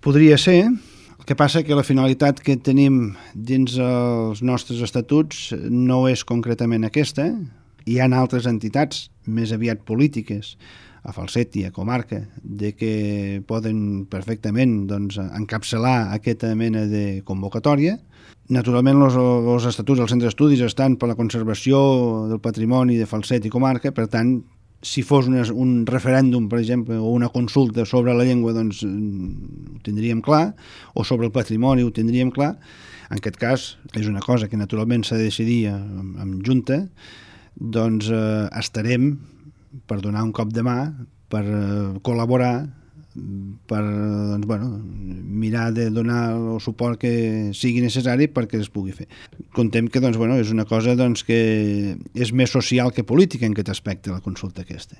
Podria ser. El que passa que la finalitat que tenim dins els nostres estatuts no és concretament aquesta. Hi ha altres entitats, més aviat polítiques, a Falset i a Comarca, de que poden perfectament encapçalar aquesta mena de convocatòria. Naturalment, els estatuts dels centres d'estudis estan per la conservació del patrimoni de Falset i Comarca, per tant, si fos un referèndum, per exemple, o una consulta sobre la llengua, doncs ho tindríem clar, o sobre el patrimoni ho tindríem clar. En aquest cas, és una cosa que naturalment s'ha de decidir en junta, doncs estarem per donar un cop de mà, per col·laborar, per mirar de donar el suport que sigui necessari perquè es pugui fer. Contem que és una cosa que és més social que política en aquest aspecte, la consulta aquesta.